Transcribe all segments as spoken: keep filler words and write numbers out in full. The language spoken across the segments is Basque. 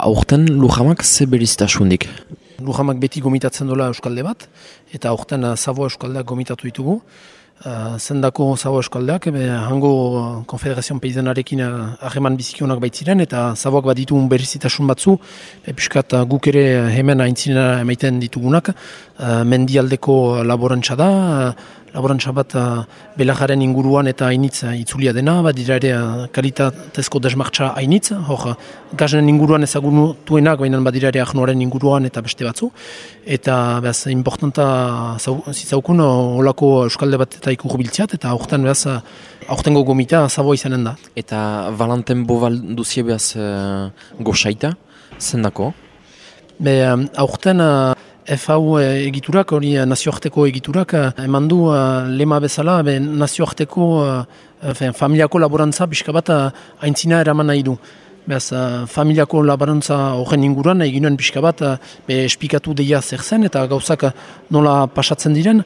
aurten Lujamak ze beriztasundik? Lujamak beti gomitatzen dola euskalde bat, eta aurten Savoa euskaldeak gomitatu ditugu. Uh, zendako Savoa euskaldeak, be, hango Konfederazioan Paizenarekin harreman bizikionak baitziren, eta Savoak bat ditugun berizitasun batzu, be, piskat guk ere hemen aintzinera emaiten ditugunak, uh, mendialdeko laborantza da, uh, laborantza bat uh, belajaren inguruan eta hainitz uh, itzulia dena, bat dira ere uh, kalitatezko desmartza hainitz, hor uh, gazen inguruan ezagunutuenak, baina bat dira ere ahnoaren inguruan eta beste batzu, eta behaz, importanta zitzaukun olako euskalde bat eta ikurbiltziat, eta aurten behaz, aurtengo gomita Savoa izanen da. Eta Valentin Boval duzie behaz uh, goxaita, zendako? Be, um, aurten uh, F A U egiturak, hori nazioarteko egiturak, eman du uh, lema bezala, be, nazioarteko uh, familiako laborantza pixka bat uh, aintzina eraman nahi du. Beaz, uh, familiako laborantza horren inguruan, egin nuen pixka bat, uh, be, espikatu deia zer zen, eta gauzak uh, nola pasatzen diren,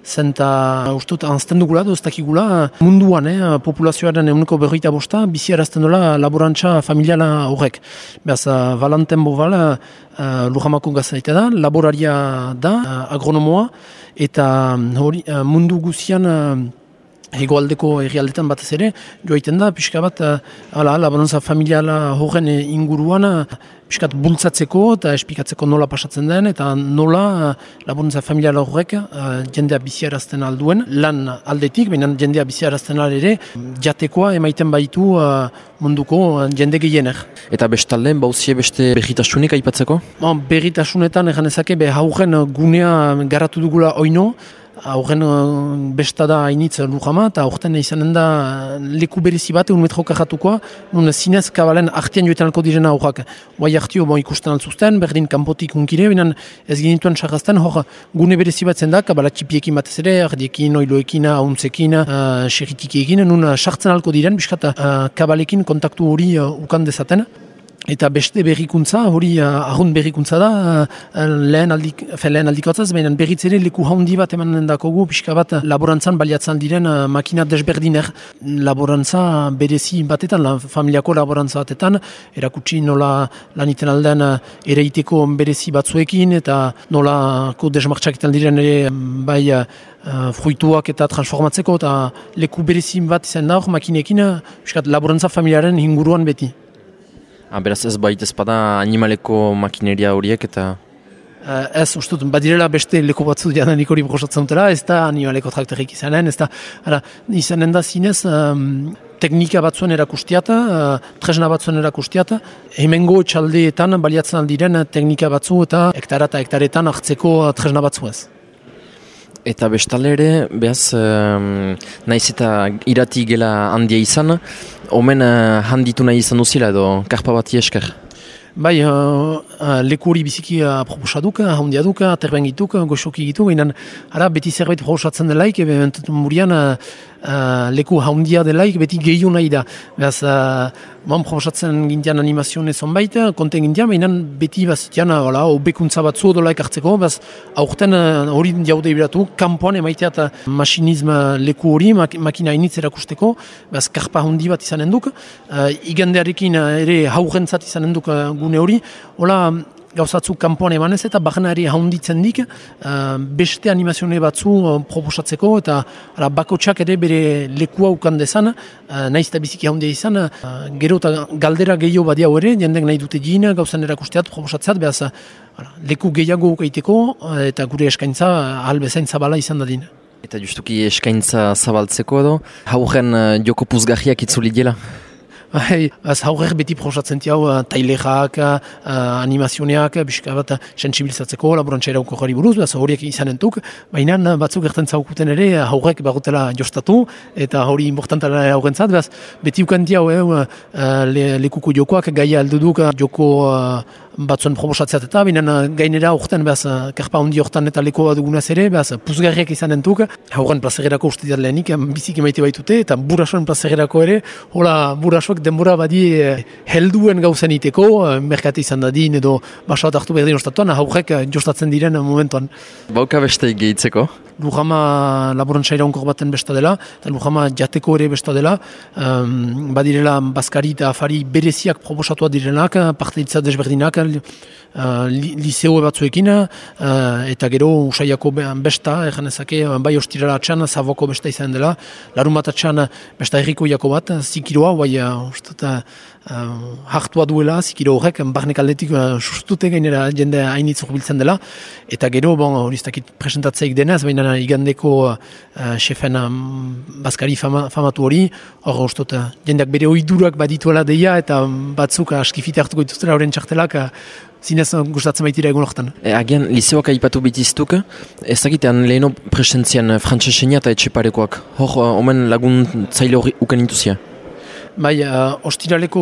zen eta uh, ustut anzten dugula, doztakigula, uh, munduan, eh, populazioaren eguneko berroita bosta, bizi arazten dola laborantza familiala horrek. Beaz, uh, Valentin Boval, uh, Lujamako gazaita da, laboraria da, uh, agronomoa, eta hori uh, mundu guzian uh, hegoaldeko herrialdetan batez ere, joaiten da, pixka bat, ala, laborantza familiala horren inguruan, pixkat bultzatzeko eta espikatzeko nola pasatzen den, eta nola laborantza familiala horrek jendea biziarazten alduen, lan aldetik, baina jendea biziarazten ere, jatekoa emaiten baitu munduko jende gehienek. Eta bestalde, bauzie beste berritasunik aipatzeko? Bon, berritasunetan, egan ezake, be haugen gunea garatu dugula oino, Aurren bestada hainitz Lujama, eta aurten izanen da leku berezi bat, un metro karratukoa, nun zinez kabalen artean joetan alko direna aurrak. Guai artio bon, ikusten altzuzten, berdin kanpotik unkire, binan ez ginituen sarrazten, hor gune berezi bat zen da, kabala txipiekin batez ere, ardiekin, oiloekin, ahuntzekin, uh, xerritikiekin, nun sartzen alko diren, biskat uh, kabalekin kontaktu hori uh, ukan dezaten. Eta beste berrikuntza, hori uh, arrunt berrikuntza da, uh, lehen, aldik, lehen aldikoatzaz, baina berriz ere leku haundi bat emanen dakogu, pixka bat laborantzan baliatzen diren uh, makina desberdiner. Laborantza berezi batetan, la, familiako laborantza batetan, erakutsi nola laniten aldean uh, ereiteko berezi batzuekin, eta nolako desmartxaketan diren ere bai uh, fruituak eta transformatzeko, eta leku berezi bat izan da hor makinekin, uh, pixka laborantza familiaren inguruan beti. Ah, beraz ez baita ezpada animaleko makineria horiek eta... Uh, ez, ustut, badirela beste leko batzu jadanik hori prosatzen dutela, ez da animaleko traktorik izanen, ez da, ara, izanen da zinez, um, teknika batzuen erakustiata, uh, tresna batzuen erakustiata, hemengo txaldeetan baliatzen aldiren teknika batzu eta hektara eta hektaretan hartzeko tresna batzu ez. Eta bestalde ere, behaz, um, naiz eta irati gela handia izan, omen uh, handitu nahi izan duzila edo karpa bati esker? Bai, uh, uh, leku hori biziki uh, proposaduk, handia duk, aterben gituk, goxoki gitu, baina ara beti zerbait proposatzen delaik, ebe murian uh, uh, leku handia delaik beti gehiu nahi da. Beraz, uh, man proposatzen gintian animazioen ezon baita, konten gintian, baina beti bazitian, uh, obekuntza batzu odolaik hartzeko, beraz, aurten uh, hori jaude ibiratu, kanpoan emaiteat uh, masinizm leku hori, mak makina initz erakusteko, beraz, karpa handi bat izanen duk, uh, igandearekin uh, ere haurentzat izanen duk uh, gune hori, hola gauzatzuk kanpoan emanez eta bajanari haunditzen dik uh, beste animazione batzu uh, proposatzeko eta ara, bakotsak ere bere lekua ukan dezan, uh, nahiz eta biziki haundia izan, uh, gero eta galdera gehiago badiau ere, jendek nahi dute gina, gauzan erakusteat, proposatzeat, behaz uh, leku gehiago ukaiteko uh, eta gure eskaintza uh, albezain zabala izan dadin. Eta justuki eskaintza zabaltzeko edo, hauren uh, joko puzgarriak itzuli dela? Bai, az haurek beti proposatzen tiau uh, tailerak, uh, animazioneak, bizka bat sensibilizatzeko, laborantza erauko jari buruz, az horiek izanentuk, baina batzuk erten zaukuten ere haurek bagutela jostatu, eta hori importantara haurentzat, beraz, beti ukan tiau eh, uh, le, lekuko jokoak gaia alduduk joko uh, batzuen proposatzeat eta, baina gainera horretan, beraz, karpa handi horretan eta lekoa dugunaz ere, beraz, puzgarriak izanentuk, hauren plazagerako uste diat lehenik, biziki maite baitute, eta burasoen plazagerako ere, hola burasoak denbora badi eh, helduen gauzen iteko, eh, merkate izan dadin edo basoat hartu berdin ostatuan, haurek jostatzen diren momentuan. Bauka beste gehitzeko? Lujama laborantzaira onkor baten besta dela, eta Lujama jateko ere besta dela, um, badirela bazkari eta afari bereziak proposatua direnak, parteitza desberdinak, uh, li, liseo batzuekin, uh, eta gero usaiako besta, egan ezake, bai ostirala atxan, zaboko besta izan dela, larun bat atxan besta erriko jako bat, zikiroa, bai, uh, ustat, Uh, hartua duela, zikiro horrek, barnek aldetik uh, sustute gainera jende hainitz biltzen dela, eta gero, bon, hori ez dakit presentatzeik denez, baina igandeko uh, xefen um, bazkari fama, famatu hori, hor ustot, uh, jendeak bere oidurak badituela deia, eta batzuk uh, askifite hartuko dituztela horren txartelak, uh, zinez uh, gustatzen baitira egun horretan. E, agian, liseoak aipatu bitiztuk, ez dakitean leheno presentzian frantsesenia eta etxeparekoak, hor, uh, omen lagun zaile hori uken intuzia? Bai, uh, ostiraleko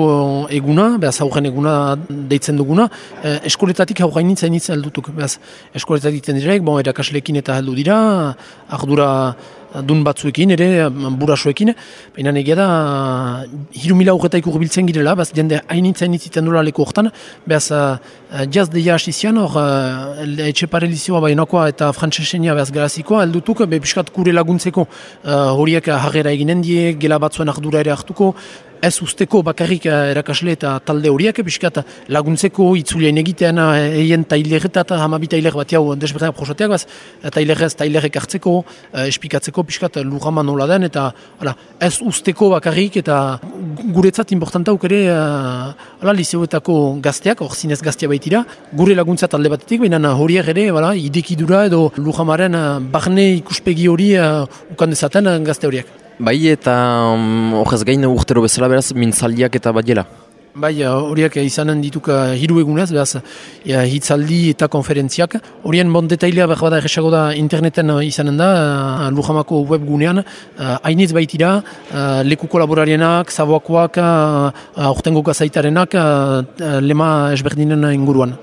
eguna, behaz aurren eguna deitzen duguna, uh, eskoletatik aurrain nintzen nintzen heldutuk. Behaz, eskoletatik ditzen direk, bon, erakaslekin eta heldu dira, ardura dun batzuekin ere, burasoekin, baina negia da, hiru mila aurretaik urbiltzen girela, behaz, jende hain nintzen nintzen dula leko hortan, behaz, uh, jaz deia hasizian, hor, uh, etxepare lizioa bainakoa eta frantsesenia behaz garazikoa, heldutuk, be piskat kure laguntzeko, uh, horiek harrera eginen die, gela batzuen ardura ere hartuko, ez usteko bakarrik erakasle eta talde horiek, piskat laguntzeko itzulean egitean eien taileretat, hamabi tailer bat jau desberdenak prosateak, baz, tailerez tailerek hartzeko, espikatzeko piskat Lujama nola den, eta ala, ez usteko bakarrik, eta guretzat importantauk ere ala, liseoetako gazteak, hor zinez gaztea baitira, gure laguntza talde batetik, baina horiek ere ala, idekidura edo Lujamaren barne ikuspegi hori uh, ukan dezaten gazte horiek. Bai, eta horrez um, gain urtero bezala beraz, mintzaldiak eta badiela? Bai, horiek izanen dituk uh, hiru egunez, beraz, ja, hitzaldi eta konferentziak. Horien bon detailea behar bada erresago da interneten uh, izanen da, uh, Lujamako webgunean, uh, hainitz baitira, uh, leku kolaborarienak, zaboakoak, uh, aurtengo gazaitarenak, uh, lema esberdinen inguruan.